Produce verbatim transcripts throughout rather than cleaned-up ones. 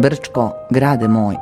Brčko, grade moj.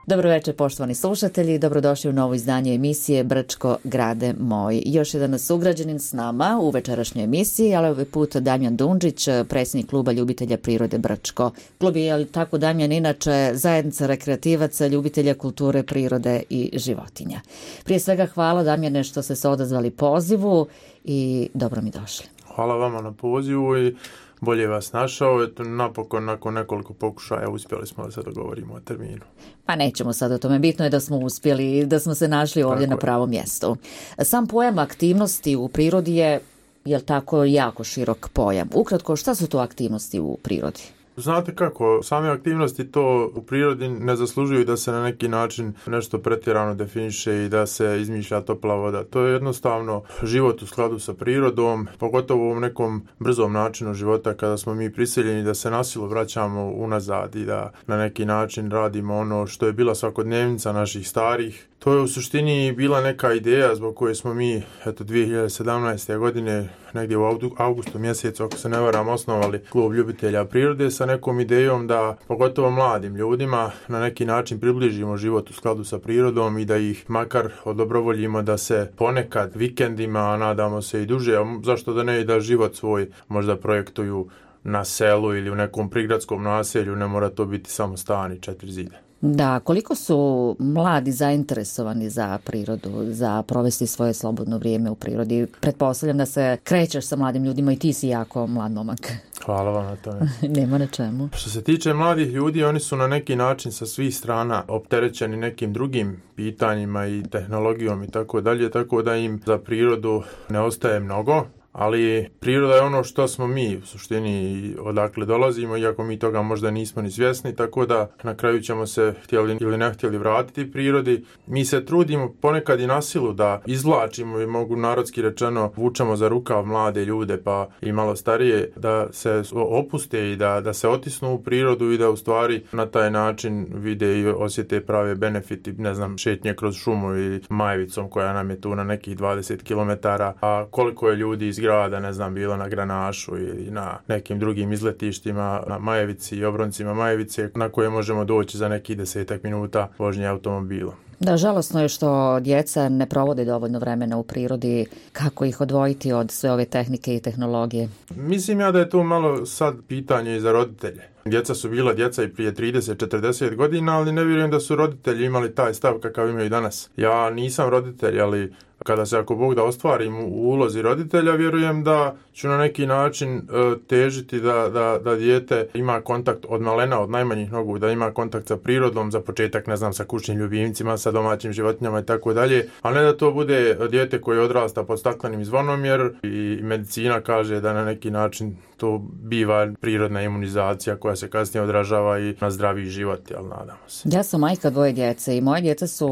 Dobro večer, poštovani slušatelji, dobrodošli u novo izdanje emisije Brčko, grade moj. Još jedan sugrađanin s nama u večerašnjoj emisiji, ali ovaj put Damjan Dundžić, predsjednik kluba ljubitelja prirode Brčko. Klub je, ali tako Damjan, inače zajednica rekreativaca, ljubitelja kulture, prirode i životinja. Prije svega hvala, Damjane, što ste se odazvali pozivu i dobro mi došli. Hvala vama na pozivu i bolje vas našao. Eto, napokon, nakon nekoliko pokušaja, uspjeli smo da se dogovorimo o terminu. Pa nećemo sad o tome. Bitno je da smo uspjeli i da smo se našli ovdje tako na pravom mjestu. Sam pojam aktivnosti u prirodi je, jel tako, jako širok pojam. Ukratko, šta su to aktivnosti u prirodi? Znate kako, same aktivnosti to u prirodi ne zaslužuju da se na neki način nešto pretjerano definiše i da se izmišlja topla voda. To je jednostavno život u skladu sa prirodom, pogotovo u ovom nekom brzom načinu života kada smo mi prisiljeni da se nasilu vraćamo unazad i da na neki način radimo ono što je bila svakodnevnica naših starih. To je u suštini bila neka ideja zbog koje smo mi, eto, dvije hiljade sedamnaeste. godine, negdje u augustu mjesecu, ako se ne varam, osnovali klub ljubitelja prirode sa nekom idejom da, pogotovo mladim ljudima, na neki način približimo život u skladu sa prirodom i da ih makar odobrovoljimo da se ponekad vikendima, a nadamo se i duže, a zašto da ne, i da život svoj možda projektuju na selu ili u nekom prigradskom naselju, ne mora to biti samo stan i četiri zida. Da, koliko su mladi zainteresovani za prirodu, za provesti svoje slobodno vrijeme u prirodi? Pretpostavljam da se krećeš sa mladim ljudima i ti si jako mlad momak. Hvala vam na tome. Nema na čemu. Što se tiče mladih ljudi, oni su na neki način sa svih strana opterećeni nekim drugim pitanjima i tehnologijom i tako dalje, tako da im za prirodu ne ostaje mnogo. Ali priroda je ono što smo mi, u suštini, odakle dolazimo, iako mi toga možda nismo ni svjesni, tako da na kraju ćemo se, htjeli ili ne htjeli, vratiti prirodi. Mi se trudimo ponekad i na silu da izvlačimo, i mogu narodski rečeno, vučemo za rukav mlade ljude pa i malo starije, da se opuste i da, da se otisnu u prirodu i da u stvari na taj način vide i osjete prave benefiti, ne znam, šetnje kroz šumu i Majevicom koja nam je tu na nekih dvadeset kilometara, a koliko je ljudi iz grada, ne znam, bilo na Granašu ili na nekim drugim izletištima na Majevici i obroncima Majevice na koje možemo doći za nekih desetak minuta vožnje automobilom. Da, žalosno je što djeca ne provode dovoljno vremena u prirodi. Kako ih odvojiti od sve ove tehnike i tehnologije? Mislim ja da je to malo sad pitanje i za roditelje. Djeca su bila djeca i prije trideset četrdeset godina, ali ne vjerujem da su roditelji imali taj stav kakav imaju danas. Ja nisam roditelj, ali kada se, ako Bog da, ostvarim u ulozi roditelja, vjerujem da ću na neki način e, težiti da, da, da dijete ima kontakt od malena, od najmanjih nogu, da ima kontakt sa prirodom, za početak, ne znam, sa kućnim ljubimcima, sa domaćim životinjama i tako dalje, a ne da to bude dijete koje odrasta pod staklenim zvonom, jer i medicina kaže da na neki način to biva prirodna imunizacija koja se kasnije odražava i na zdraviji život, ali nadamo se. Ja sam majka dvoje djece i moje djeca su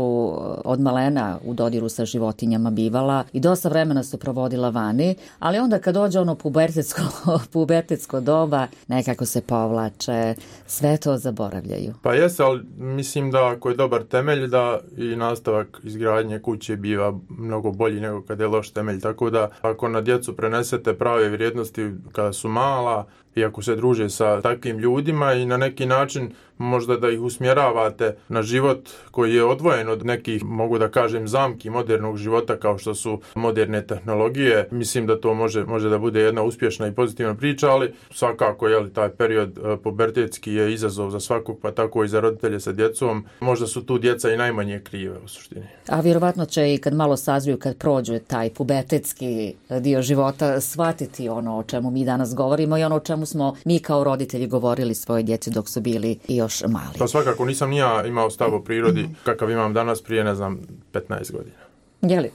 od malena u dodiru sa životinjama bivala i dosta vremena su provodila vani, ali onda kad dođe ono pubertetsko, pubertetsko doba, nekako se povlače, sve to zaboravljaju. Pa jeste, ali mislim da ako je dobar temelj, da i nastavak izgradnje kuće biva mnogo bolji nego kad je loš temelj, tako da ako na djecu prenesete prave vrijednosti kada su mala i ako se druže sa takvim ljudima i na neki način možda da ih usmjeravate na život koji je odvojen od nekih, mogu da kažem, zamki modernog života kao što su moderne tehnologije, mislim da to može, može da bude jedna uspješna i pozitivna priča, ali svakako, jeli, taj period pubertetski je izazov za svakog, pa tako i za roditelje sa djecom. Možda su tu djeca i najmanje krive u suštini. A vjerovatno će i kad malo sazriju, kad prođe taj pubertetski dio života, shvatiti ono o čemu mi danas govorimo i ono o čemu smo mi kao roditelji govorili svoje djeci dok su bili i još mali. Pa svakako nisam ni ja imao stav o prirodi kakav imam danas prije, ne znam, petnaest godina. Je li?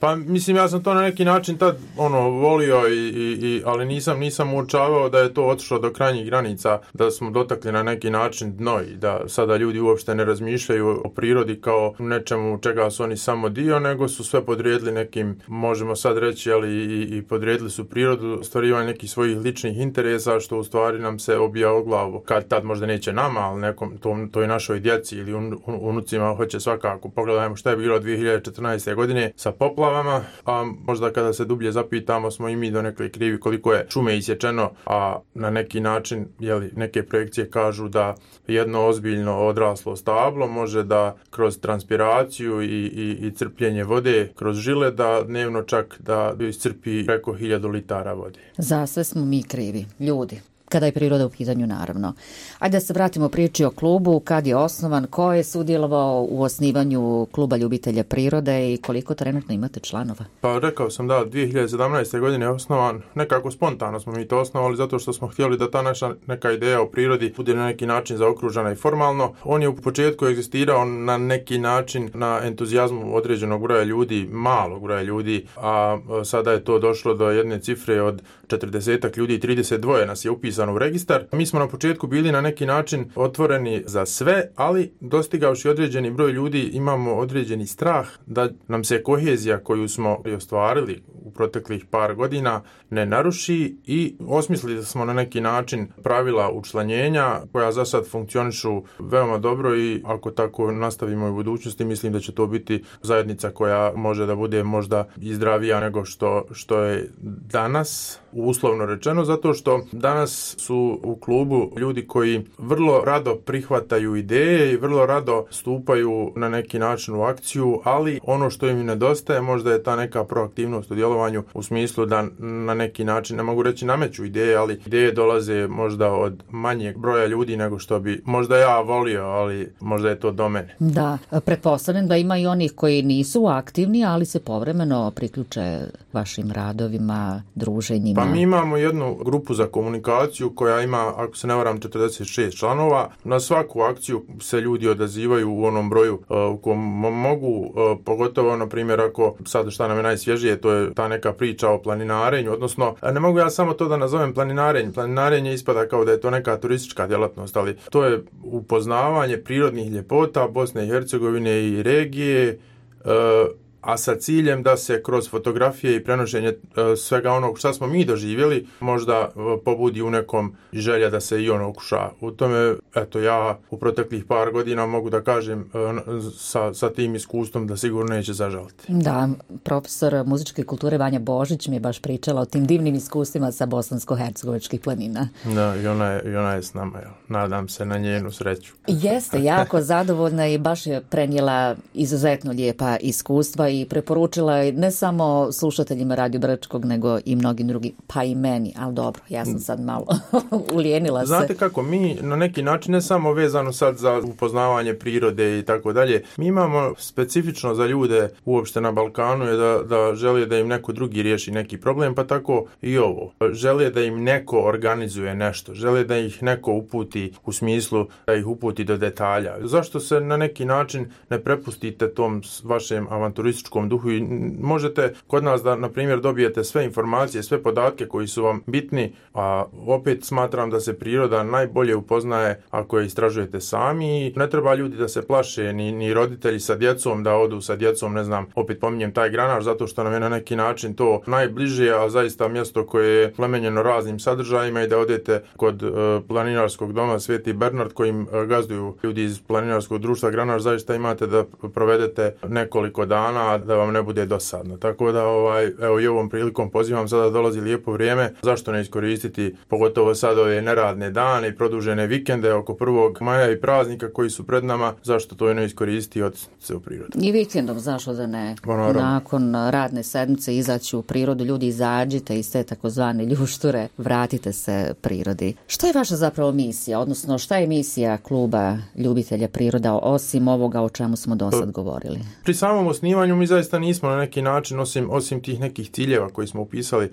Pa mislim, ja sam to na neki način tad ono volio, i, i, i, ali nisam nisam uočavao da je to otišlo do krajnjih granica, da smo dotakli na neki način dno i da sada ljudi uopšte ne razmišljaju o prirodi kao nečemu čega su oni samo dio, nego su sve podrijedili nekim, možemo sad reći, ali i, i podrijedili su prirodu, ostvarivanje nekih svojih ličnih interesa, što u stvari nam se obija o glavu. Kad tad možda neće nama, ali nekom, to, toj našoj djeci ili un, un, unucima hoće svakako. Pogledajmo šta je bilo dvije hiljade četrnaeste. godine sa poplavama, a možda kada se dublje zapitamo smo i mi donekle krivi koliko je šume isječeno, a na neki način, jeli, neke projekcije kažu da jedno ozbiljno odraslo stablo može da kroz transpiraciju i, i, i crpljenje vode kroz žile da dnevno čak da iscrpi preko hiljadu litara vode. Za sve smo mi krivi, ljudi. Kada je priroda u pitanju, naravno. Ajde da se vratimo priči o klubu, kad je osnovan, ko je sudjelovao u osnivanju kluba ljubitelja prirode i koliko trenutno imate članova? Pa rekao sam da dvije hiljade sedamnaeste. godine je osnovan, nekako spontano smo mi to osnovali zato što smo htjeli da ta naša neka ideja o prirodi bude na neki način zaokružena i formalno. On je u početku egzistirao na neki način na entuzijazmu određenog broja ljudi, malog broja ljudi, a sada je to došlo do jedne cifre od četrdesetak ljudi i trideset dva nas je upisano u registar. Mi smo na početku bili na neki način otvoreni za sve, ali dostigavši određeni broj ljudi imamo određeni strah da nam se kohezija koju smo ostvarili u proteklih par godina ne naruši i osmislili smo na neki način pravila učlanjenja koja za sad funkcionišu veoma dobro i ako tako nastavimo u budućnosti mislim da će to biti zajednica koja može da bude možda i zdravija nego što, što je danas, uslovno rečeno, zato što danas su u klubu ljudi koji vrlo rado prihvataju ideje i vrlo rado stupaju na neki način u akciju, ali ono što im nedostaje možda je ta neka proaktivnost u djelovanju u smislu da na neki način, ne mogu reći nameću ideje, ali ideje dolaze možda od manjeg broja ljudi nego što bi možda ja volio, ali možda je to do mene. Da, pretpostavljam da ima i onih koji nisu aktivni, ali se povremeno priključe vašim radovima, druženjima. Pa mi imamo jednu grupu za komunikaciju koja ima, ako se ne varam, četrdeset šest članova. Na svaku akciju se ljudi odazivaju u onom broju uh, u kom mogu, uh, pogotovo, na primjer, ako sad šta nam je najsvježije, to je ta neka priča o planinarenju, odnosno, ne mogu ja samo to da nazovem planinarenje. Planinarenje ispada kao da je to neka turistička djelatnost, ali to je upoznavanje prirodnih ljepota Bosne i Hercegovine i regije, uh, a sa ciljem da se kroz fotografije i prenošenje e, svega onog što smo mi doživjeli možda e, pobudi u nekom želja da se i ono okuša. U tome, eto, ja u proteklih par godina mogu da kažem e, sa, sa tim iskustvom da sigurno neće zažaliti. Da, profesor muzičke kulture Vanja Božić mi je baš pričala o tim divnim iskustvima sa bosansko-hercegovačkih planina. Da, i ona je, i ona je s nama, ja. Nadam se na njenu sreću. Jeste, jako zadovoljna i baš je prenijela izuzetno lijepa iskustva i preporučila je ne samo slušateljima Radio Brčkog, nego i mnogim drugim, pa i meni, ali dobro, ja sam sad malo ulijenila se. Znate kako, mi na neki način, ne samo vezano sad za upoznavanje prirode i tako dalje, mi imamo specifično za ljude uopšte na Balkanu je da, da žele da im neko drugi riješi neki problem, pa tako i ovo. Žele da im neko organizuje nešto, žele da ih neko uputi u smislu da ih uputi do detalja. Zašto se na neki način ne prepustite tom vašem avanturističkom duhu i možete kod nas da, na primjer, dobijete sve informacije, sve podatke koji su vam bitni, a opet smatram da se priroda najbolje upoznaje ako je istražujete sami i ne treba ljudi da se plaše, ni, ni roditelji sa djecom da odu sa djecom, ne znam, opet pominjem taj Granaš, zato što nam je na neki način to najbliže, a zaista mjesto koje je plemenjeno raznim sadržajima i da odete kod uh, planinarskog doma Sveti Bernard kojim uh, gazduju ljudi iz planinarskog društva Granaš, zaista imate da provedete nekoliko dana da vam ne bude dosadno. Tako da ovaj, evo i ovom prilikom pozivam, sada dolazi lijepo vrijeme, zašto ne iskoristiti pogotovo sad ove neradne dane i produžene vikende oko prvog maja i praznika koji su pred nama, zašto to ne iskoristiti od se u prirodu. I vikendom, zašto da ne? Ponaravno. Nakon radne sedmice izaći u prirodu, ljudi izađite iz te takozvane ljušture, vratite se prirodi. Što je vaša zapravo misija, odnosno šta je misija kluba ljubitelja priroda osim ovoga o čemu smo do sad govorili? Pri samom osnivanju mi zaista nismo na neki način, osim, osim tih nekih ciljeva koji smo upisali,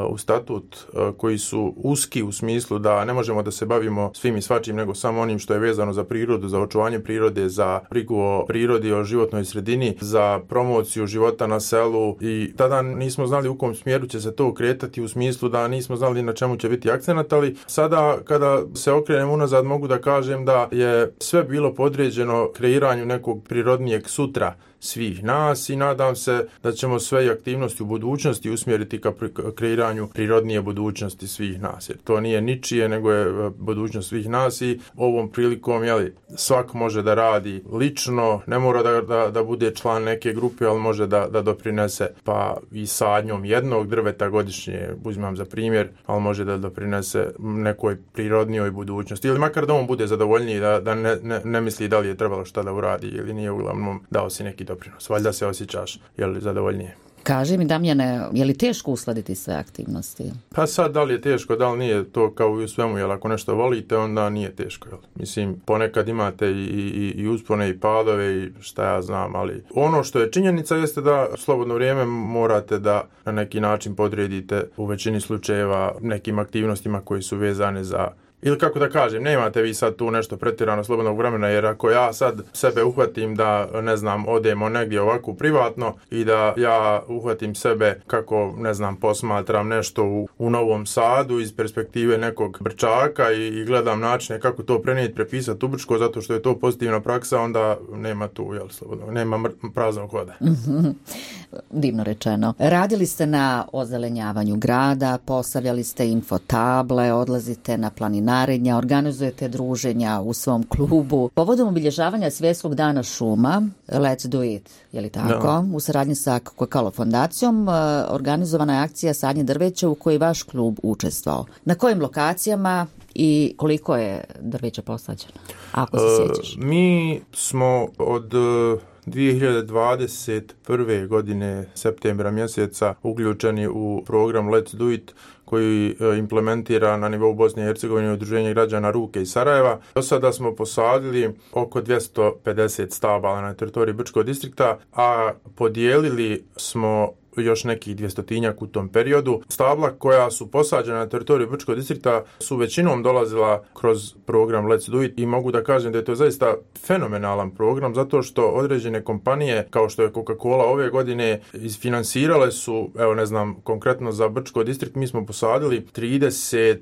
u statut koji su uski u smislu da ne možemo da se bavimo svim i svačim nego samo onim što je vezano za prirodu, za očuvanje prirode, za brigu o prirodi, o životnoj sredini, za promociju života na selu i tada nismo znali u kom smjeru će se to kretati u smislu da nismo znali na čemu će biti akcenat, ali sada kada se okrenem unazad mogu da kažem da je sve bilo podređeno kreiranju nekog prirodnijeg sutra svih nas i nadam se da ćemo sve aktivnosti u budućnosti usmjeriti ka kreiranju prirodnije budućnosti svih nas. Jer to nije ničije, nego je budućnost svih nas i ovom prilikom jeli, svak može da radi lično, ne mora da, da, da bude član neke grupe, ali može da, da doprinese pa i sadnjom jednog drveta godišnje, uzmem za primjer, ali može da doprinese nekoj prirodnijoj budućnosti. Ili makar da on bude zadovoljniji, da, da ne, ne, ne misli da li je trebalo šta da uradi ili nije, uglavnom dao si neki doprinos. Valjda se osjećaš jel, zadovoljnije. Kaži mi, Damjane, je li teško uskladiti sve aktivnosti? Pa sad, da li je teško, da li nije, to kao i u svemu, jel ako nešto volite, onda nije teško. Jel? Mislim, ponekad imate i, i, i uspone i padove i šta ja znam, ali ono što je činjenica jeste da slobodno vrijeme morate da na neki način podredite u većini slučajeva nekim aktivnostima koji su vezane za ili kako da kažem, nemate vi sad tu nešto pretjerano slobodnog vremena, jer ako ja sad sebe uhvatim da, ne znam, odemo negdje ovako privatno i da ja uhvatim sebe kako, ne znam, posmatram nešto u, u Novom Sadu iz perspektive nekog Brčaka i, i gledam načine kako to prenijeti, prepisati u Brčko, zato što je to pozitivna praksa, onda nema tu, jel, slobodno, nema mr- praznog hoda. Divno rečeno. Radili ste na ozelenjavanju grada, postavljali ste infotable, odlazite na planinarenja, organizujete druženja u svom klubu. Povodom obilježavanja Svjetskog dana šuma, Let's Do It, je li tako? Da. U saradnji sa Coca-Cola fondacijom organizovana je akcija sadnje drveća u kojoj vaš klub učestvovao. Na kojim lokacijama i koliko je drveća posađeno? Ako se uh, sjećaš. Mi smo od dvije hiljade dvadeset prve godine septembra mjeseca uključeni u program Let's Do It koji implementira na nivou Bosne i Hercegovine Udruženje građana Ruke iz Sarajeva. Do sada smo posadili oko dvjesto pedeset stabala na teritoriji Brčkog distrikta, a podijelili smo još nekih dvjestotinjak u tom periodu. Stabla koja su posađena na teritoriju Brčkog distrikta su većinom dolazila kroz program Let's Do It i mogu da kažem da je to zaista fenomenalan program zato što određene kompanije kao što je Coca-Cola ove godine isfinansirale su, evo ne znam, konkretno za Brčkog distrikt mi smo posadili trideset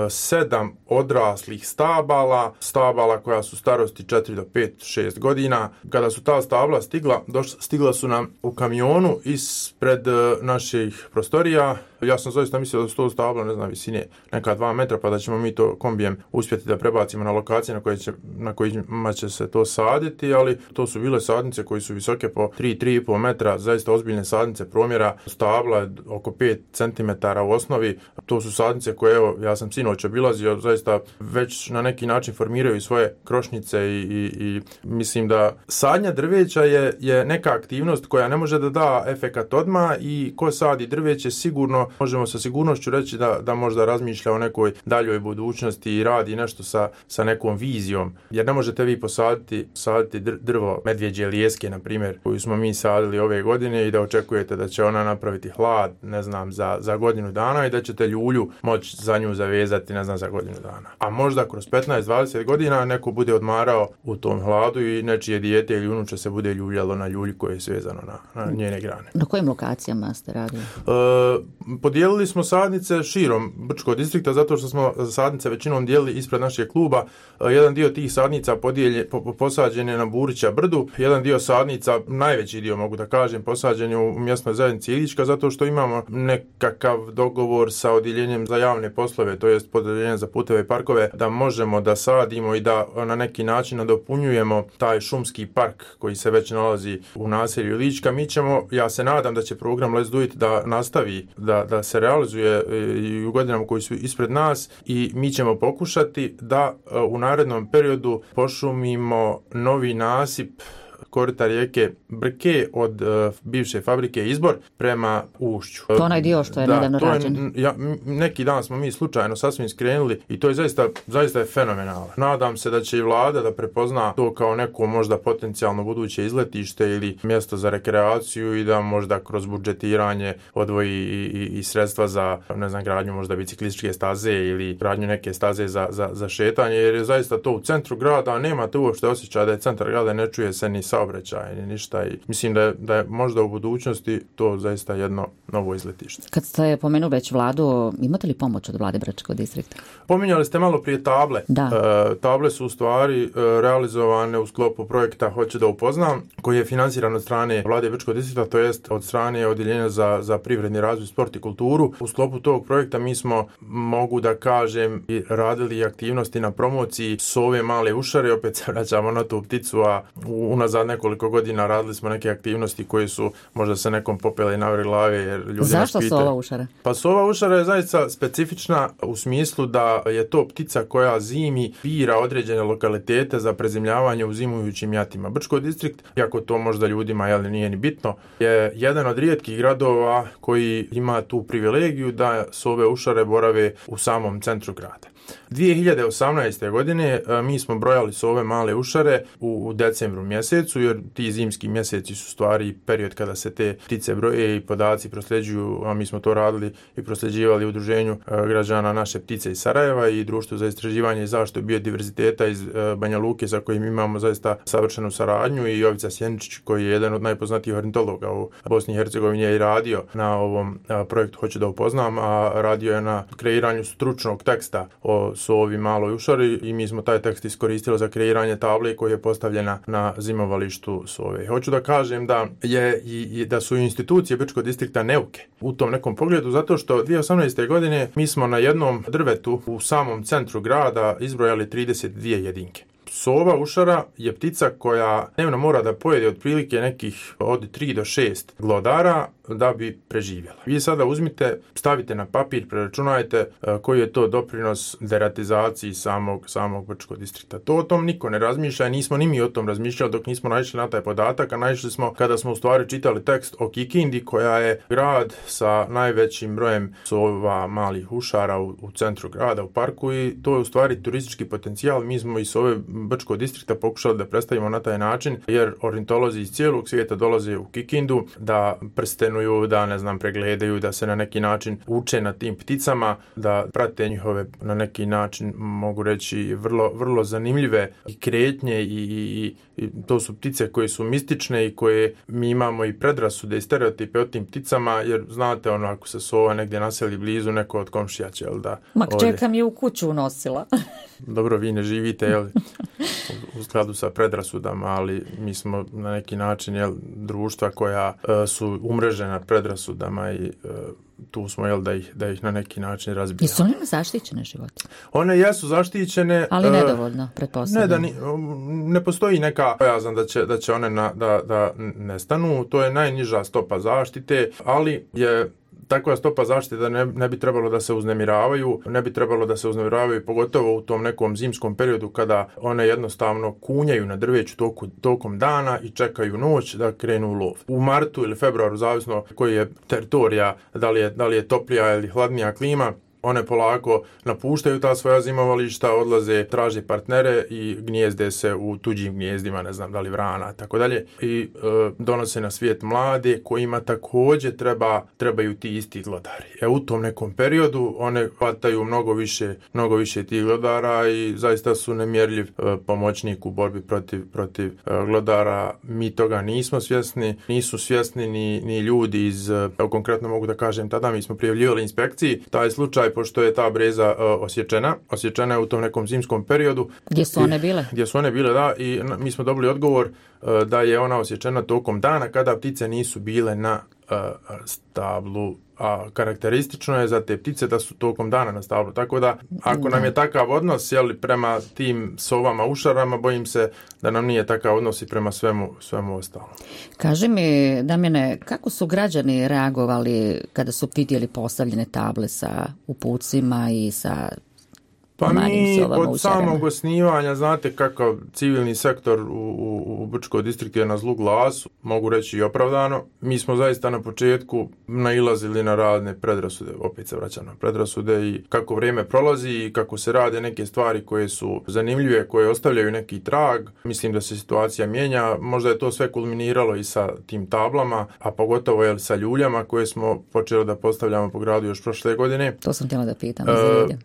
sedam odraslih stabala, stabala koja su starosti četiri do pet, šest godina. Kada su ta stabla stigla, došla, stigla su nam u kamionu ispred naših prostorija. Ja sam zaista mislio da su to stabla, ne znam, visine neka dva metra, pa da ćemo mi to kombijem uspjeti da prebacimo na lokacije na, koje će, na kojima će se to saditi, ali to su bile sadnice koje su visoke po tri do tri i pol metra, zaista ozbiljne sadnice, promjera stabla oko pet centimetara u osnovi. To su sadnice koje, evo, ja sam sinoć obilazio, zaista već na neki način formiraju svoje krošnjice i, i, i mislim da sadnja drveća je, je neka aktivnost koja ne može da da efekat odmah i ko sadi drveće sigurno možemo sa sigurnošću reći da, da možda razmišlja o nekoj daljoj budućnosti i radi nešto sa, sa nekom vizijom. Jer ne možete vi posaditi saditi drvo medvjeđe lijeske, na primjer, koju smo mi sadili ove godine i da očekujete da će ona napraviti hlad, ne znam, za, za godinu dana i da ćete ljulju moći za nju zavezati, ne znam, za godinu dana. A možda kroz petnaest do dvadeset godina neko bude odmarao u tom hladu i nečije dijete ili unuče se bude ljuljalo na ljulji koje je svezano na, na njene grane. Na kojim lokacijama ste radili? E, Podijelili smo sadnice širom Brčkog distrikta zato što smo sadnice većinom dijelili ispred našeg kluba. Jedan dio tih sadnica podijelje, po, posađen je na Burića brdu, jedan dio sadnica, najveći dio mogu da kažem, posađen je u mjesnoj zajednici Ilička zato što imamo nekakav dogovor sa odjeljenjem za javne poslove, to jest podjeljenjem za puteve i parkove, da možemo da sadimo i da na neki način nadopunjujemo taj šumski park koji se već nalazi u naselju Ilička. Mi ćemo, ja se nadam da će program Let's Do It da nastavi da da se realizuje i u godinama koji su ispred nas i mi ćemo pokušati da u narednom periodu pošumimo novi nasip korita rijeke Brke od uh, bivše fabrike Izbor prema ušću. To onaj dio što je da, nedavno rađen. Je, ja, neki dan smo mi slučajno sasvim skrenuli i to je zaista, zaista je fenomenalno. Nadam se da će i vlada da prepozna to kao neko možda potencijalno buduće izletište ili mjesto za rekreaciju i da možda kroz budžetiranje odvoji i, i, i sredstva za, ne znam, gradnju možda biciklističke staze ili gradnju neke staze za, za, za šetanje, jer je zaista to u centru grada, nemate uopšte osjećaja da je centar grada, ne čuje se ni saobraćaj, ni ništa i mislim da je, da je možda u budućnosti to zaista jedno novo izletište. Kad ste pomenuli već vladu, imate li pomoć od vlade Bračkog distrikta? Pominjali ste malo prije table. Da. E, table su u stvari e, realizovane u sklopu projekta Hoću da upoznam, koji je financiran od strane vlade Bračkog distrikta, to jest od strane Odjeljenja za, za privredni razvoj, sport i kulturu. U sklopu tog projekta mi smo, mogu da kažem, i radili aktivnosti na promociji sove male ušare, opet se vraćamo na tu pticu, a unazad nekoliko godina radili smo neke aktivnosti koje su možda se nekom popele na vrh glave, jer ljudi Zašto nas pitaju. sova ušara? Pa sova ušara je zaista specifična u smislu da je to ptica koja zimi bira određene lokalitete za prezimljavanje u zimujućim jatima. Brčko distrikt, iako to možda ljudima jel, nije ni bitno, je jedan od rijetkih gradova koji ima tu privilegiju da sove ušare borave u samom centru grada. dvije hiljade osamnaeste. godine mi smo brojali sove male ušare u, u decembru mjesecu, jer ti zimski mjeseci su stvari period kada se te ptice broje i podaci prosljeđuju, a mi smo to radili i prosljeđivali udruženju građana Naše ptice iz Sarajeva i Društvu za istraživanje i zaštitu biodiverziteta iz Banja Luke, sa kojim imamo zaista savršenu saradnju, i Jovica Sjeničić, koji je jedan od najpoznatijih ornitologa u Bosni i Hercegovini, je i radio na ovom projektu Hoću da upoznam, a radio je na kreiranju stručnog teksta o sovi maloj ušari i mi smo taj tekst iskoristili za kreiranje table koja je postavljena na zimovalištu sove. Hoću da kažem da je i, i da su institucije Brčkog distrikta neuke u tom nekom pogledu, zato što dvije hiljade osamnaeste. godine mi smo na jednom drvetu u samom centru grada izbrojali trideset dvije jedinke. Sova ušara je ptica koja dnevno mora da pojede otprilike nekih od tri do šest glodara da bi preživjela. Vi sada uzmite, stavite na papir, preračunajte koji je to doprinos deratizaciji samog, samog Brčkog distrikta. To o tom niko ne razmišlja, nismo ni mi o tom razmišljali dok nismo naišli na taj podatak, a naišli smo kada smo u stvari čitali tekst o Kikindi, koja je grad sa najvećim brojem sova malih ušara u, u centru grada, u parku, i to je u stvari turistički potencijal. Mi smo iz ove Brčkog distrikta pokušali da predstavimo na taj način, jer ornitolozi iz cijelog svijeta dolaze u Kikindu da prstenuju, da ne znam, pregledaju, da se na neki način uče na tim pticama, da prate njihove na neki način, mogu reći, vrlo, vrlo zanimljive i kretnje i, i, i to su ptice koje su mistične i koje mi imamo i predrasude i stereotipe o tim pticama, jer znate, ono, ako se sova negdje naseli blizu, neko od komšija će, jel da? Mak čekam je u kuću unosila. Dobro, vi ne živite, jel, u skladu sa predrasudama, ali mi smo na neki način, jel, društva koja uh, su umrežena predrasudama i uh, tu smo, jel, da ih, da ih na neki način razbijamo. Jesu one zaštićene životinje? One jesu zaštićene. Ali nedovoljno, pretpostavljam. Ne, da ni, ne postoji neka bojazan da će, da će one na, da, da nestanu. To je najniža stopa zaštite, ali je takva stopa zaštite da ne, ne bi trebalo da se uznemiravaju, ne bi trebalo da se uznemiravaju pogotovo u tom nekom zimskom periodu kada one jednostavno kunjaju na drveću toku, tokom dana i čekaju noć da krenu u lov. U martu ili februaru, zavisno koji je teritorija, da li je, da li je toplija ili hladnija klima, one polako napuštaju ta svoja zimovališta, odlaze, traže partnere i gnijezde se u tuđim gnijezdima, ne znam da li vrana, tako dalje, i e, donose na svijet mlade kojima također treba, trebaju ti isti glodari. E, u tom nekom periodu one hvataju mnogo više, mnogo više tih glodara i zaista su nemjerljiv e, pomoćnik u borbi protiv, protiv e, glodara. Mi toga nismo svjesni, nisu svjesni ni, ni ljudi iz, e, konkretno mogu da kažem, tada mi smo prijavljivali inspekciji taj slučaj, pošto je ta breza uh, osječena. Osječena je u tom nekom zimskom periodu. Gdje su one bile? Gdje su one bile, da. I mi smo dobili odgovor uh, da je ona osječena tokom dana kada ptice nisu bile na uh, stablu. A karakteristično je za te ptice da su tokom dana na stablu. Tako da, ako da. nam je takav odnos, jeli, prema tim sovama ušarama, bojim se da nam nije takav odnos i prema svemu, svemu ostalom. Kaži mi, Damjane, kako su građani reagovali kada su vidjeli postavljene table sa upucima i sa Pa mi od samog osnivanja, znate kakav civilni sektor u, u, u Brčkoj distriktu je na zlu glasu, mogu reći i opravdano. Mi smo zaista na početku nailazili na razne predrasude, opet se vraćam na predrasude i kako vrijeme prolazi i kako se rade neke stvari koje su zanimljive, koje ostavljaju neki trag. Mislim da se situacija mijenja, možda je to sve kulminiralo i sa tim tablama, a pogotovo je sa ljuljama koje smo počeli da postavljamo po gradu još prošle godine. To sam htjela da pitam. E,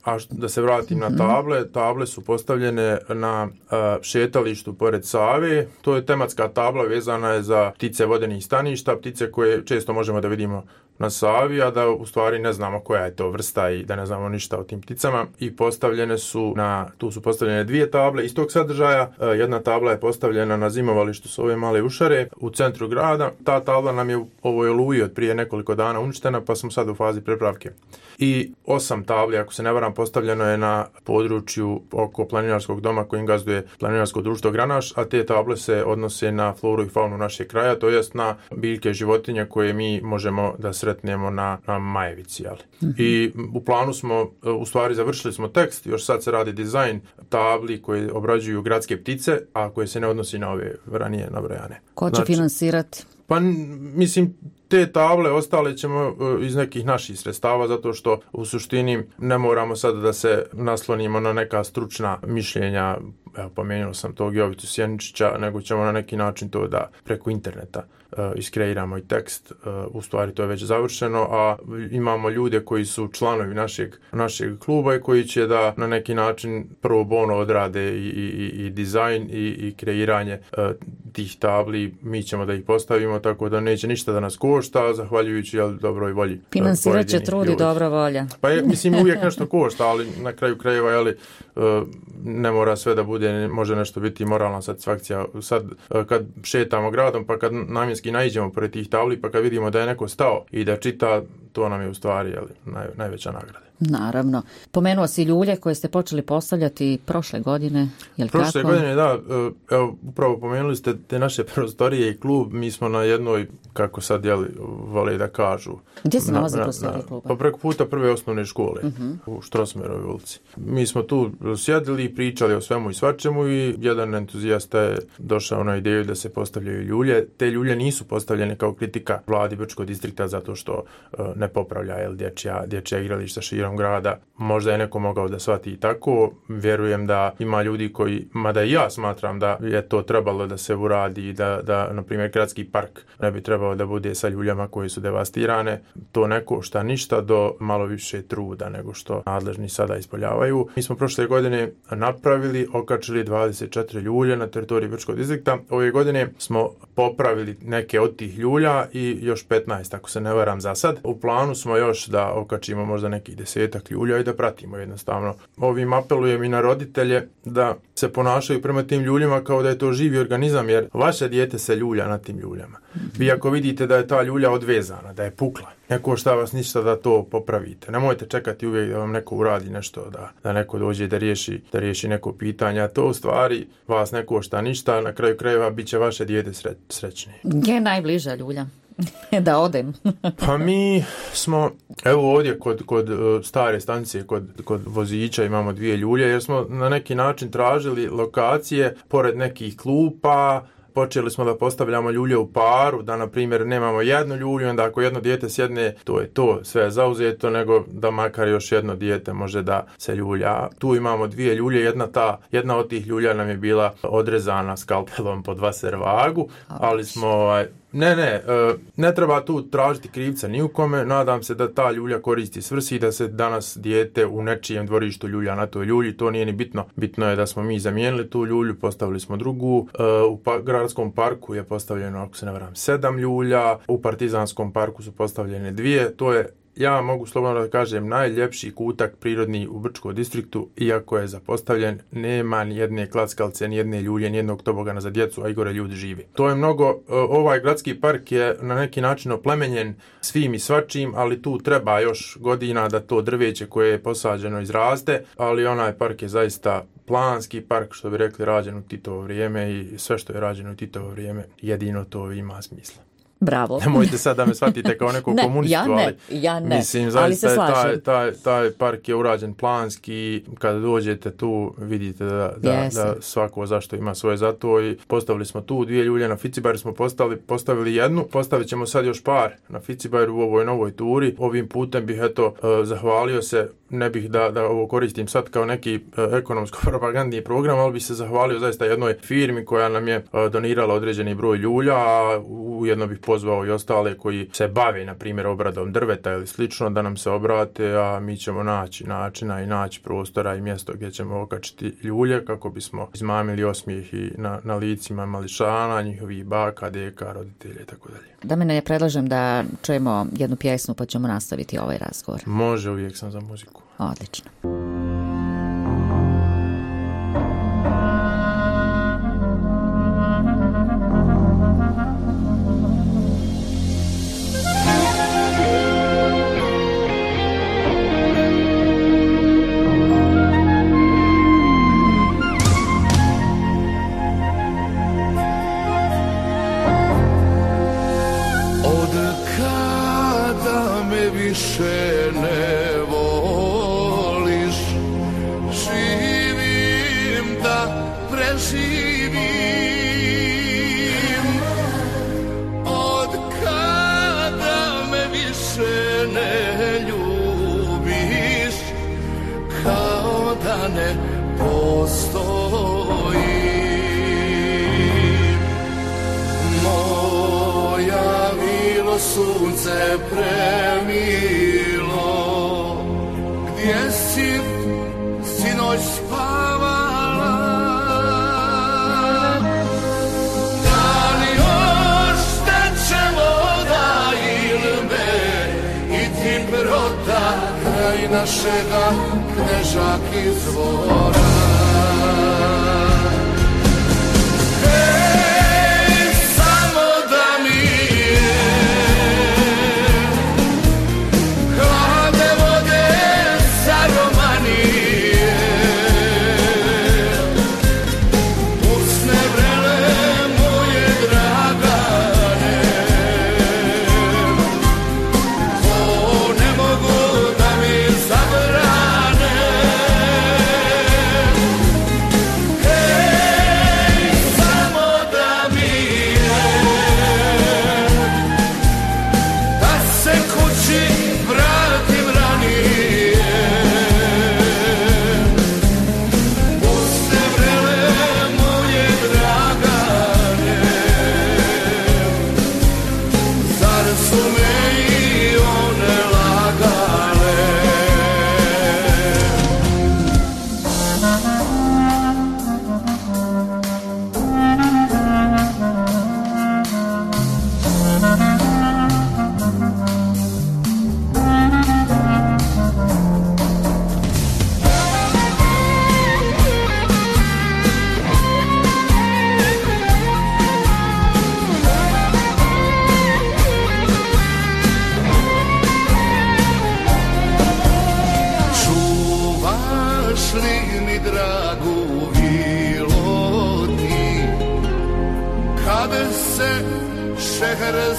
a da se vratim na table, table su postavljene na uh, šetalištu pored Save. To je tematska tabla, vezana je za ptice vodenih staništa, ptice koje često možemo da vidimo na Savi, a da u stvari ne znamo koja je to vrsta i da ne znamo ništa o tim pticama. I postavljene su na, tu su postavljene dvije table istog sadržaja. Uh, jedna tabla je postavljena na zimovalištu s ove male ušare u centru grada. Ta tabla nam je u ovoj oluji od prije nekoliko dana uništena, pa smo sad u fazi prepravke. I osam tabli, ako se ne varam, postavljeno je na području oko planinarskog doma kojim gazduje planinarsko društvo Granaš, a te table se odnose na floru i faunu našeg kraja, to jest na biljke životinje koje mi možemo da sretnemo na, na Majevici. Jeli? Mm-hmm. I u planu smo, u stvari završili smo tekst, još sad se radi dizajn tabli koje obrađuju gradske ptice, a koje se ne odnosi na ove ranije nabrojane. Ko će znači, finansirati? Pa mislim, te table ostale ćemo iz nekih naših sredstava, zato što u suštini ne moramo sad da se naslonimo na neka stručna mišljenja, evo pomenuo sam tog Jovicu Sjeničića, nego ćemo na neki način to da preko interneta uh, iskreiramo i tekst, uh, u stvari to je već završeno, a imamo ljude koji su članovi našeg, našeg kluba i koji će da na neki način prvo bono odrade i, i, i dizajn i, i kreiranje uh, tih tabli, mi ćemo da ih postavimo, tako da neće ništa da nas košta, zahvaljujući jel, dobroj volji. Finansirat će trud i dobra volja. Pa je, mislim, uvijek nešto košta, ali na kraju krajeva, jeli, ne mora sve da bude, može nešto biti moralna satisfakcija. Sad, kad šetamo gradom, pa kad namjenski naiđemo pored tih tabli, pa kad vidimo da je neko stao i da čita, to nam je u stvari jeli, naj, najveća nagrada. Naravno. Pomenuo si ljulje koje ste počeli postavljati prošle godine, je li prošle tako? godine, da. Evo, upravo pomenuli ste te naše prostorije i klub. Mi smo na jednoj, kako sad jeli, vole da kažu. Gdje se nalazi prostorije kluba? Pa preko puta prve osnovne škole, uh-huh. u Štrosmerovoj ulici. Mi smo tu sjedili i pričali o svemu i svačemu i jedan entuzijasta je došao na ideju da se postavljaju ljulje. Te ljulje nisu postavljene kao kritika vladi Brčkog distrikta zato što uh, ne popravlja jel, dječja, dječja igrališta širom grada. Možda je neko mogao da shvati i tako. Vjerujem da ima ljudi koji, mada i ja smatram da je to trebalo da se uradi i da, da, na primjer, gradski park ne bi trebao da bude sa ljuljama koje su devastirane. To ne košta ništa do malo više truda nego što nadležni sada ispoljavaju. Mi smo prošle godine napravili, okačili dvadeset četiri ljulje na teritoriji Brčkog distrikta. Ove godine smo popravili neke od tih ljulja i još petnaest, ako se ne varam za sad. U planu smo još da okačimo možda nekih desetak ljulja i da pratimo jednostavno. Ovim apelujem i na roditelje da se ponašaju prema tim ljuljima kao da je to živi organizam, jer vaše dijete se ljulja na tim ljuljama. Vi ako vidite da je ta ljulja odvezana, da je pukla, ne košta vas ništa da to popravite. Nemojte čekati uvijek da vam neko uradi nešto, da, da neko dođe da riješi, da riješi neko pitanje. A to u stvari vas ne košta ništa, na kraju krajeva bit će vaše dijete sre, srećnije. Gdje je najbliža ljulja? Da odem. Pa mi smo, evo ovdje kod, kod stare stanice, kod, kod vozića imamo dvije ljulje, jer smo na neki način tražili lokacije pored nekih klupa. Počeli smo da postavljamo ljulje u paru, da na primjer nemamo jednu ljulju, onda ako jedno dijete sjedne, to je to, sve je zauzeto, nego da makar još jedno dijete može da se ljulja. Tu imamo dvije ljulje, jedna, ta, jedna od tih ljulja nam je bila odrezana skalpelom po dva servagu, ali smo... Ne, ne, ne treba tu tražiti krivca ni u kome, nadam se da ta ljulja koristi svrsi i da se danas dijete u nečijem dvorištu ljulja na toj ljulji, to nije ni bitno. Bitno je da smo mi zamijenili tu ljulju, postavili smo drugu, u pa- gradskom parku je postavljeno, ako se ne varam, sedam ljulja, u Partizanskom parku su postavljene dvije, to je, ja mogu slobodno da kažem, najljepši kutak prirodni u Brčkom distriktu, iako je zapostavljen, nema ni jedne klackalce, ni jedne ljulje, ni jednog tobogana za djecu, a i gore ljudi žive. To je mnogo, ovaj gradski park je na neki način oplemenjen svim i svačim, ali tu treba još godina da to drveće koje je posađeno izraste, ali onaj park je zaista planski park, što bi rekli, rađen u Titovo vrijeme i sve što je rađeno u Titovo vrijeme, jedino to ima smisla. Bravo. Nemojte sad da me shvatite kao nekog ne, komunistu, ja ne, ali ja ne, mislim, ali se zaista slažem. taj, taj, taj park je urađen planski, kada dođete tu vidite da, da, da svako zašto ima svoje za to i postavili smo tu dvije ljulje, na Ficibaru smo postavili, postavili jednu, postavit ćemo sad još par na Ficibaru u ovoj novoj turi. Ovim putem bih eto zahvalio se, ne bih da, da ovo koristim sad kao neki ekonomsko-propagandni program, ali bih se zahvalio zaista jednoj firmi koja nam je donirala određeni broj ljulja, a ujedno bih pozvao i ostale koji se bave, na primjer, obradom drveta ili slično, da nam se obrate, a mi ćemo naći načina i naći prostora i mjesto gdje ćemo okačiti ljulje kako bismo izmamili osmijeh i na, na licima mališana, njihovih baka, deka, roditelja i tako dalje. Da me ne predlažem da čujemo jednu pjesmu pa ćemo nastaviti ovaj razgovor. Može, uvijek sam za muziku. Odlično. Sunce premilo, gdje si sinoć spavala? Da li još teče voda ili me i ti brota kraj našega Knežak izvora?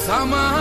Zabrane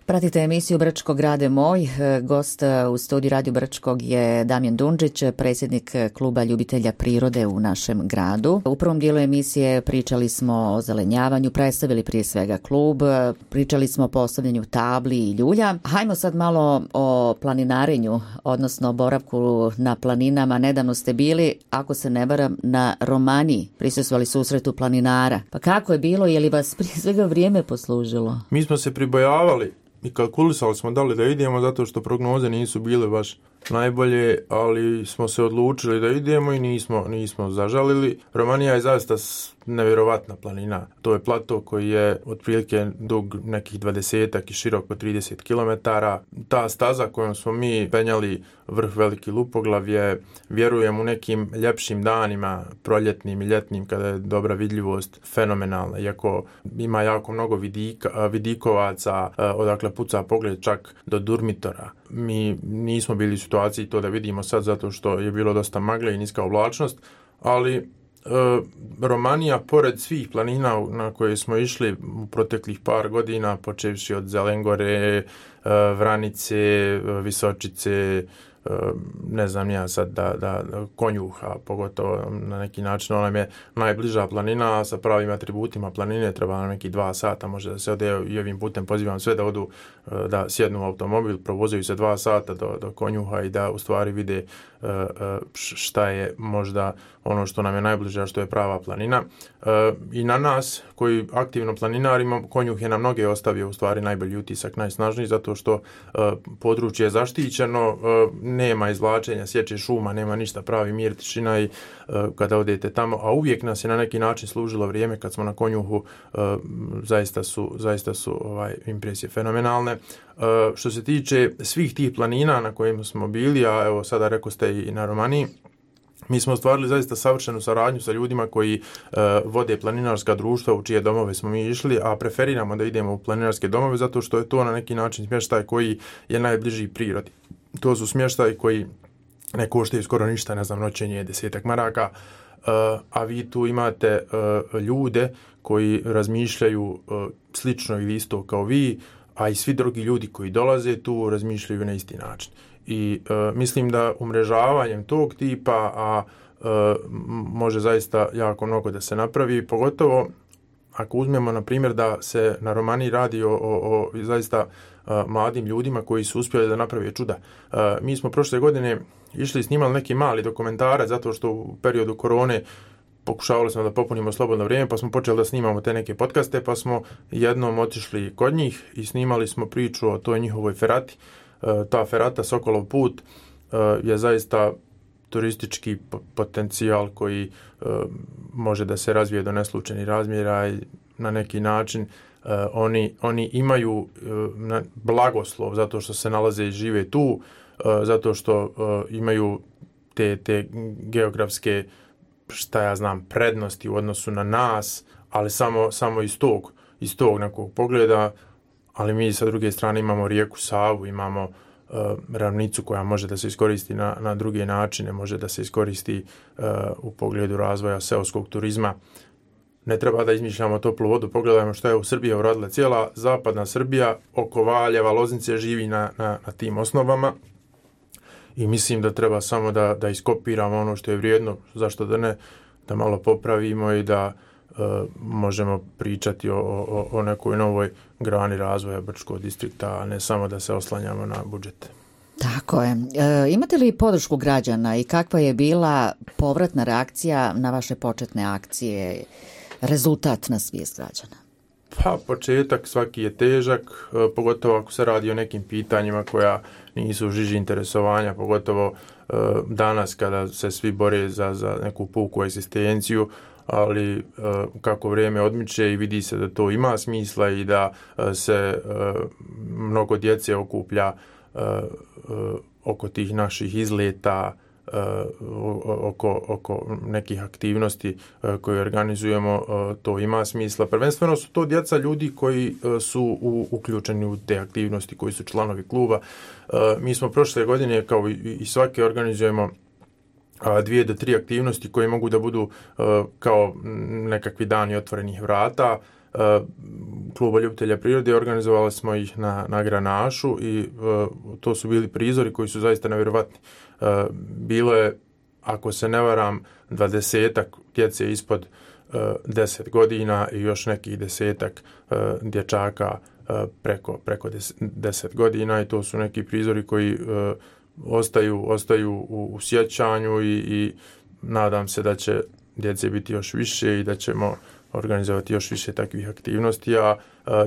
Pratite emisiju Brčko grade moj. Gost u studiju Radio Brčkog je Damjan Dundžić, predsjednik kluba ljubitelja prirode u našem gradu. U prvom dijelu emisije pričali smo o zelenjavanju, predstavili prije svega klub, pričali smo o postavljanju tabli i ljulja. Hajmo sad malo o planinarenju, odnosno boravku na planinama. Nedavno ste bili, ako se ne varam, na Romaniji. Prisustvovali susretu planinara. Pa kako je bilo, je li vas prije svega vrijeme poslužilo? Mi smo se pribojavali i kalkulisali smo da li da idemo zato što prognoze nisu bile baš najbolje, ali smo se odlučili da idemo i nismo, nismo zažalili. Romanija je zaista nevjerovatna planina. To je plato koji je otprilike dug nekih dvadesetak i širok po trideset kilometara. Ta staza kojom smo mi penjali vrh Veliki Lupoglav je, vjerujem, u nekim ljepšim danima, proljetnim i ljetnim, kada je dobra vidljivost, fenomenalna. Iako ima jako mnogo vidika, vidikovaca, odakle puca pogled čak do Durmitora. Mi nismo bili u situaciji to da vidimo sad zato što je bilo dosta magle i niska oblačnost, ali e, Romanija, pored svih planina na koje smo išli u proteklih par godina, počevši od Zelengore, e, Vranice, Visočice, ne znam ja sad da, da Konjuha, pogotovo na neki način, ona je najbliža planina, a sa pravim atributima planine treba na neki dva sata, može da se ode, i ovim putem pozivam sve da odu, da sjednu u automobil, provozaju se dva sata do, do Konjuha i da u stvari vide šta je možda ono što nam je najbliže, a što je prava planina. I na nas koji aktivno planinarimo, Konjuh je na mnoge ostavio u stvari najbolji utisak, najsnažniji, zato što područje je zaštićeno, nema izvlačenja, sječe šuma, nema ništa, pravi mir, tišina i kada odete tamo, a uvijek nas je na neki način služilo vrijeme kad smo na Konjuhu, zaista su, zaista su ovaj, impresije fenomenalne. Što se tiče svih tih planina na kojima smo bili, a evo sada rekao ste i na Romaniji, mi smo ostvarili zaista savršenu saradnju sa ljudima koji uh, vode planinarska društva u čije domove smo mi išli, a preferiramo da idemo u planinarske domove zato što je to na neki način smještaj koji je najbliži prirodi. To su smještaj koji ne koštaju skoro ništa, ne znam, noćenje je desetak maraka, uh, a vi tu imate uh, ljude koji razmišljaju uh, slično ili isto kao vi, a i svi drugi ljudi koji dolaze tu razmišljaju na isti način. I uh, mislim da umrežavanjem tog tipa, a uh, može zaista jako mnogo da se napravi, pogotovo ako uzmemo na primjer da se na Romaniji radi o, o, o zaista uh, mladim ljudima koji su uspjeli da naprave čuda. Uh, mi smo prošle godine išli i snimali neki mali dokumentarac zato što u periodu korone pokušavali smo da popunimo slobodno vrijeme, pa smo počeli da snimamo te neke podcaste, pa smo jednom otišli kod njih i snimali smo priču o toj njihovoj ferati. Ta ferata Sokolov put je zaista turistički potencijal koji može da se razvije do neslučajnih razmjera i na neki način oni, oni imaju blagoslov zato što se nalaze i žive tu, zato što imaju te, te geografske, šta ja znam, prednosti u odnosu na nas, ali samo, samo iz tog, iz tog nekog pogleda. Ali mi sa druge strane imamo rijeku Savu, imamo uh, ravnicu koja može da se iskoristi na, na druge načine, može da se iskoristi uh, u pogledu razvoja seoskog turizma. Ne treba da izmišljamo toplu vodu, pogledajmo što je u Srbiji uradila. Cijela zapadna Srbija oko Valjeva, Loznice živi na, na, na tim osnovama i mislim da treba samo da, da iskopiramo ono što je vrijedno, zašto da ne, da malo popravimo i da Uh, možemo pričati o, o, o nekoj novoj grani razvoja Brčkog distrikta, a ne samo da se oslanjamo na budžet. Tako je. E, imate li podršku građana i kakva je bila povratna reakcija na vaše početne akcije, rezultat na svijest građana? Pa, početak svaki je težak, pogotovo ako se radi o nekim pitanjima koja nisu u žiži interesovanja, pogotovo uh, danas kada se svi bore za, za neku puku egzistenciju, ali uh, kako vrijeme odmiče i vidi se da to ima smisla i da uh, se uh, mnogo djece okuplja uh, uh, oko tih naših izleta, uh, oko, oko nekih aktivnosti uh, koje organizujemo, uh, to ima smisla. Prvenstveno su to djeca ljudi koji uh, su u, uključeni u te aktivnosti, koji su članovi kluba. Uh, mi smo prošle godine, kao i, i svake, organizujemo dvije do tri aktivnosti koje mogu da budu uh, kao nekakvi dani otvorenih vrata, uh, kluba ljubitelja prirode, organizovali smo ih na, na Granašu i uh, to su bili prizori koji su zaista nevjerovatni. Uh, bilo je, ako se ne varam, dvadesetak djece ispod uh, deset godina i još nekih desetak uh, dječaka uh, preko, preko deset godina i to su neki prizori koji uh, ostaju, ostaju u, u sjećanju i, i nadam se da će djece biti još više i da ćemo organizovati još više takvih aktivnosti, a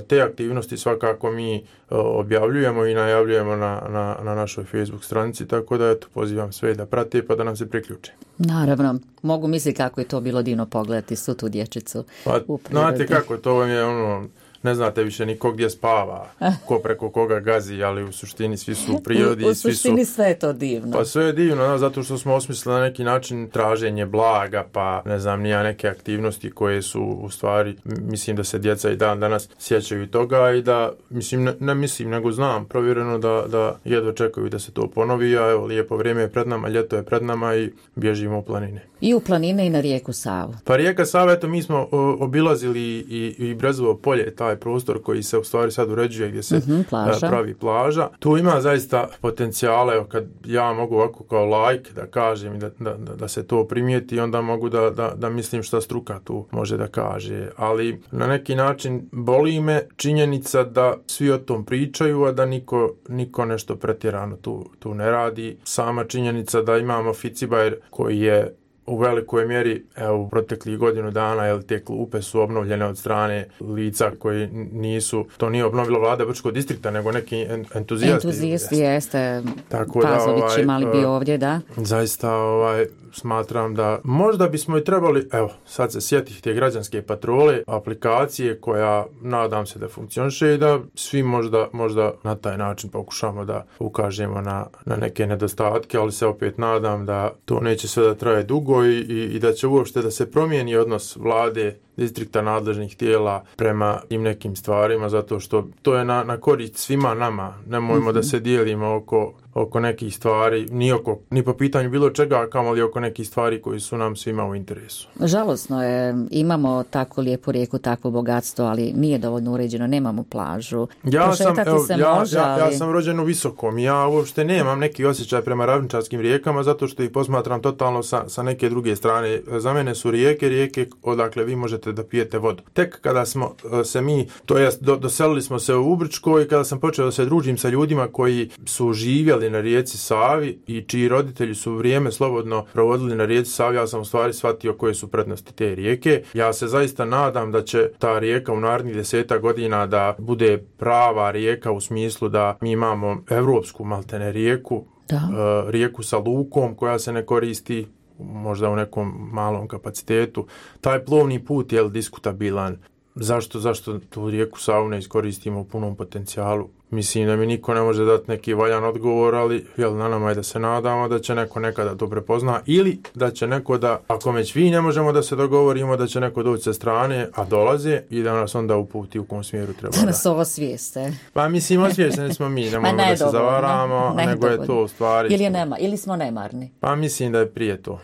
te aktivnosti svakako mi objavljujemo i najavljujemo na, na, na našoj Facebook stranici, tako da eto, pozivam sve da prate pa da nam se priključe. Naravno, mogu misliti kako je to bilo divno pogledati svu tu dječicu pa, u prirodi. Znate kako, to vam je ono, ne znate više niko gdje spava, ko preko koga gazi, ali u suštini svi su u prirodi. U, u svi suštini su, sve je to divno. Pa sve je divno, no, zato što smo osmislili na neki način traženje blaga, pa ne znam, nija neke aktivnosti koje su u stvari, mislim da se djeca i dan danas sjećaju toga i da, mislim, ne, ne mislim, nego znam provjereno da, da jedva čekaju da se to ponovi, a evo, lijepo vrijeme je pred nama, ljeto je pred nama i bježimo u planine. I u planine i na rijeku Savu. Pa rijeka Sava, eto, mi smo o, obilazili i, i Brezovo polje, taj prostor koji se u stvari sad uređuje gdje se mm-hmm, plaža. pravi plaža. Tu ima zaista potencijale, evo, kad ja mogu ovako kao laik da kažem da, da, da se to primijeti, onda mogu da, da, da mislim šta struka tu može da kaže. Ali na neki način boli me činjenica da svi o tom pričaju, a da niko, niko nešto pretjerano tu, tu ne radi. Sama činjenica da imamo Ficibajer koji je u velikoj mjeri, evo, u proteklih godinu dana, jel, te klupe su obnovljene od strane lica koji nisu, to nije obnovila vlada Brčkog distrikta, nego neki entuzijasti. Entuzijasti jeste, tako Pazović da, ovaj, imali bi ovdje, da. Zaista, ovaj, smatram da možda bismo i trebali, evo, sad se sjetiti te građanske patrole, aplikacije koja, nadam se da funkcioniše i da svi možda, možda na taj način pokušamo da ukažemo na, na neke nedostatke, ali se opet nadam da to neće sve da traje dugo i, i, i da će uopšte da se promijeni odnos vlade, distrikta, nadležnih tijela prema tim nekim stvarima, zato što to je na, na korist svima nama. Nemojmo mm-hmm. da se dijelimo oko, oko nekih stvari, ni, oko, ni po pitanju bilo čega, kamoli oko nekih stvari koji su nam svima u interesu. Žalosno je, imamo tako lijepu rijeku, takvo bogatstvo, ali nije dovoljno uređeno, nemamo plažu. Ja sam, evo, se ja, može, ja, ali... ja sam rođen u Visokom, ja uopšte nemam neki osjećaj prema ravničarskim rijekama, zato što ih posmatram totalno sa, sa neke druge strane. Za mene su rijeke, rijeke odakle vi možete da pijete vodu. Tek kada smo se mi, to jest do, doselili smo se u Brčko i kada sam počeo da se družim sa ljudima koji su živjeli na rijeci Savi i čiji roditelji su vrijeme slobodno provodili na rijeci Savi, ja sam u stvari shvatio koje su prednosti te rijeke. Ja se zaista nadam da će ta rijeka u narednih deseta godina da bude prava rijeka u smislu da mi imamo evropsku maltene rijeku, da. Uh, rijeku sa lukom koja se ne koristi možda u nekom malom kapacitetu. Taj plovni put je diskutabilan. Zašto, zašto tu rijeku Savu ne iskoristimo u punom potencijalu? Mislim da mi niko ne može dati neki valjan odgovor, ali jel, na nama je da se nadamo da će neko nekada to prepozna ili da će neko da, ako već vi ne možemo da se dogovorimo, da će neko doći sa strane, a dolaze i da nas onda uputi u kom smjeru treba da. Da nas ovo svijeste. Pa mislim, osvijesteni smo mi, ne možemo da se zavaramo, ne, nego je to u stvari. Ili, je nema, ili smo nemarni. Pa mislim da je prije to.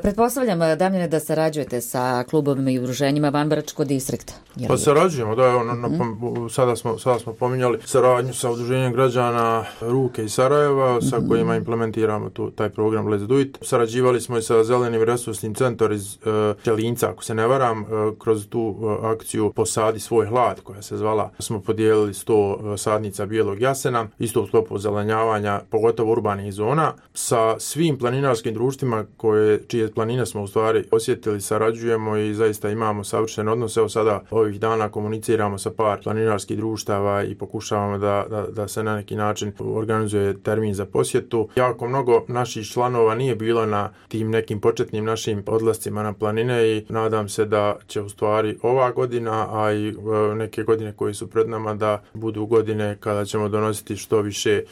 Pretpostavljam, Damjane, da sarađujete sa klubovima i udruženjima van Brčkog distrikta. Pa sarađujemo, da, evo, mm-hmm. sada smo, sada smo pominjali saradnju sa udruženjem građana Ruke iz Sarajeva, mm-hmm. sa kojima implementiramo tu, taj program Let's Do It. Sarađivali smo i sa Zelenim resursnim centrom iz uh, Čelinca, ako se ne varam, uh, kroz tu uh, akciju Posadi svoj hlad, koja se zvala. Smo podijelili sto uh, sadnica bijelog jasena, isto u sklopu zelenjavanja, pogotovo urbanih zona, sa svim planinarskim društvima koje, čije planine smo u stvari osjetili, sarađujemo i zaista imamo savršen odnos. Evo sada ovih dana komuniciramo sa par planinarskih društava i pokušavamo Da, da, da se na neki način organizuje termin za posjetu. Jako mnogo naših članova nije bilo na tim nekim početnim našim odlascima na planine i nadam se da će u stvari ova godina, a i neke godine koje su pred nama da budu godine kada ćemo donositi što više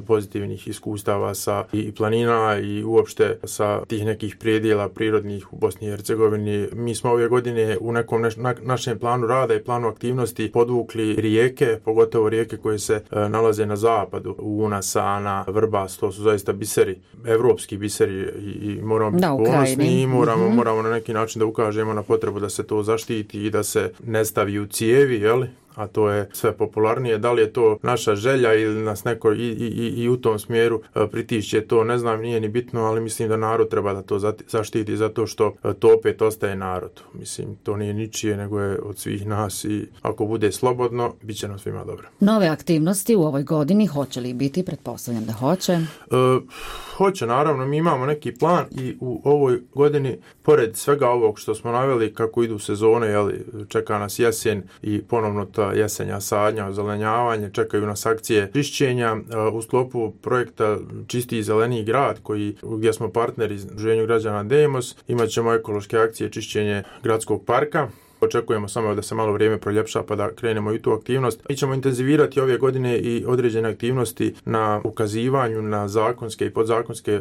pozitivnih iskustava sa i planina i uopšte sa tih nekih predjela prirodnih u Bosni i Hercegovini. Mi smo ove godine u nekom neš, na, našem planu rada i planu aktivnosti podvukli rijeke, pogotovo rijeke koje se e, nalaze na zapadu, Una, Sana, Vrbas, to su zaista biseri, evropski biseri i, i moramo biti ponosni i moramo, mm-hmm. moramo na neki način da ukažemo na potrebu da se to zaštiti i da se ne stavi u cijevi, jeli? a to je sve popularnije. Da li je to naša želja ili nas neko i, i, i u tom smjeru pritišće, to ne znam, nije ni bitno, ali mislim da narod treba da to zaštiti zato što to opet ostaje narod. Mislim, to nije ničije, nego je od svih nas i ako bude slobodno, bit će nam svima dobro. Nove aktivnosti u ovoj godini hoće li biti? Pretpostavljam da hoće. E, hoće, naravno. Mi imamo neki plan i u ovoj godini, pored svega ovog što smo naveli, kako idu sezone, jeli, čeka nas jesen i ponovno ta jesenja sadnja, ozelenjavanje, čekaju nas akcije čišćenja. U sklopu projekta Čisti i zeleniji grad, koji, gdje smo partneri Udruženju građana Demos, imat ćemo ekološke akcije čišćenje gradskog parka. Očekujemo samo da se malo vrijeme proljepša pa da krenemo i tu aktivnost. Mi ćemo intenzivirati ove godine i određene aktivnosti na ukazivanju na zakonske i podzakonske e,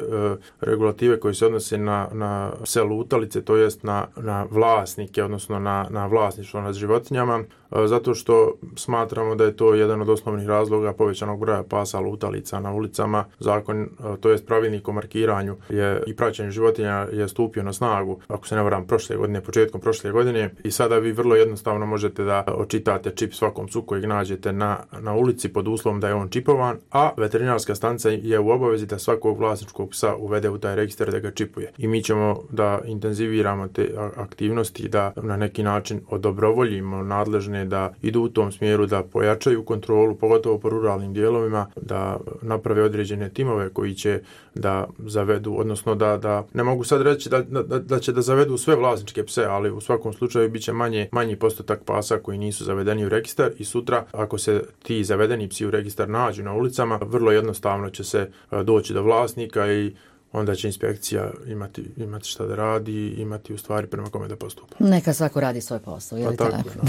regulative koje se odnose na, na pse lutalice, to jest na, na vlasnike, odnosno na, na vlasništvo nad životinjama, e, zato što smatramo da je to jedan od osnovnih razloga povećanog broja pasa lutalica na ulicama. Zakon, e, to jest pravilnik o markiranju je, i praćenju životinja je stupio na snagu, ako se ne varam, prošle godine, početkom prošle godine i sad da vi vrlo jednostavno možete da očitate čip svakom psu kojeg nađete na, na ulici pod uslovom da je on čipovan, a veterinarska stanica je u obavezi da svakog vlasničkog psa uvede u taj registar da ga čipuje. I mi ćemo da intenziviramo te aktivnosti, da na neki način odobrovoljimo nadležne da idu u tom smjeru, da pojačaju kontrolu, pogotovo po ruralnim dijelovima, da naprave određene timove koji će da zavedu, odnosno da, da ne mogu sad reći da, da, da će da zavedu sve vlasničke pse, ali u svakom slučaju bit će manje, manji postotak pasa koji nisu zavedeni u registar i sutra ako se ti zavedeni psi u registar nađu na ulicama, vrlo jednostavno će se doći do vlasnika i onda će inspekcija imati, imati šta da radi, imati u stvari prema kome da postupa. Neka svako radi svoj posao, je li pa tako? tako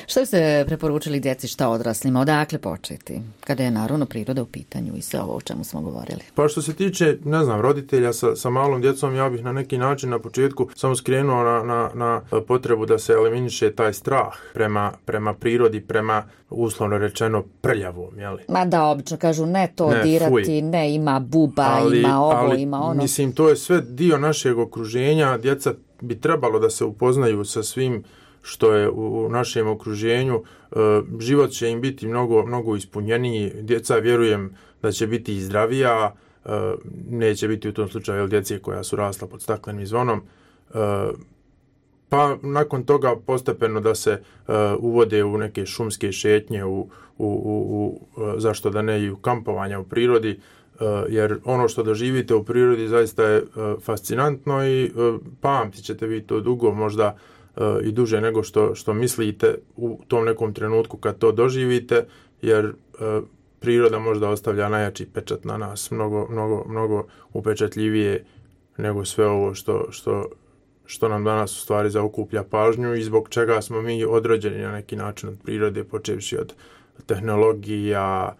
Što ste preporučili djeci, šta odraslima? Odakle početi? Kada je naravno priroda u pitanju i sve ovo o čemu smo govorili. Pa što se tiče, ne znam, roditelja sa, sa malom djecom, ja bih na neki način na početku samo skrenuo na, na, na potrebu da se eliminiše taj strah prema, prema prirodi, prema uslovno rečeno prljavom, jeli? Ma da, obično kažu ne to ne, dirati, fuj. ne, ima buba, ali, ima ovo, ali, ima ono. Mislim, to je sve dio našeg okruženja. Djeca bi trebalo da se upoznaju sa svim što je u našem okruženju. E, život će im biti mnogo, mnogo ispunjeniji. Djeca, vjerujem, da će biti i zdravija. E, neće biti u tom slučaju djece koja su rasla pod staklenim zvonom. E, pa nakon toga postepeno da se uh, uvode u neke šumske šetnje, u, u, u, u, zašto da ne i u kampovanja u prirodi, uh, jer ono što doživite u prirodi zaista je uh, fascinantno i uh, pamtit ćete vi to dugo, možda uh, i duže nego što, što mislite u tom nekom trenutku kad to doživite, jer uh, priroda možda ostavlja najjači pečat na nas, mnogo, mnogo, mnogo upečatljivije nego sve ovo što, što što nam danas u stvari zaokuplja pažnju i zbog čega smo mi odrođeni na neki način od prirode, počevši od tehnologija,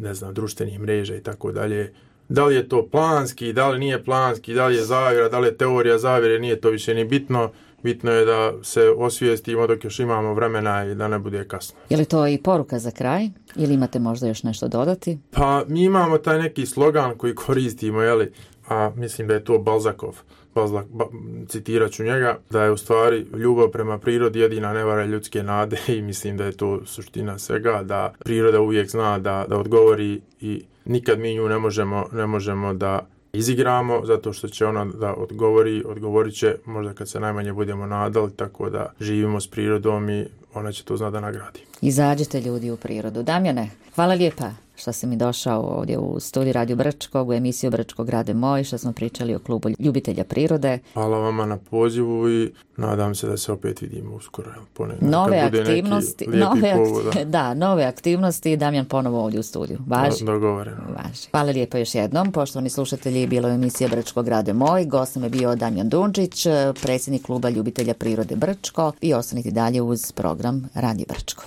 ne znam, društvenih mreža i tako dalje. Da li je to planski, da li nije planski, da li je zavjera, da li je teorija zavjere, nije to više ni bitno. Bitno je da se osvijestimo dok još imamo vremena i da ne bude kasno. Je li to i poruka za kraj? Ili imate možda još nešto dodati? Pa mi imamo taj neki slogan koji koristimo, jeli, a mislim da je to Balzakov. Balzak, ba, citirat ću njega, da je u stvari ljubav prema prirodi jedina nevara ljudske nade i mislim da je to suština svega, da priroda uvijek zna da, da odgovori i nikad mi nju ne možemo, ne možemo da izigramo, zato što će ona da odgovori, odgovorit će možda kad se najmanje budemo nadali, tako da živimo s prirodom i ona će to zna da nagradi. Izađite ljudi u prirodu. Damjane, hvala lijepa što si mi došao ovdje u studiju Radio Brčkog, u emisiju Brčko grade moj, što smo pričali o klubu ljubitelja prirode. Hvala vama na pozivu i nadam se da se opet vidimo uskoro. Ponedjeljak, nove aktivnosti, nove, povod, da, nove aktivnosti, Damjan ponovo ovdje u studiju. Važi? Dogovoreno. Važi. Hvala lijepo još jednom. Poštovani slušatelji, bilo je emisija Brčko grade moj. Gost nam je bio Damjan Dundžić, predsjednik kluba ljubitelja prirode Brčko, i ostanite dalje uz program Radio Brčko.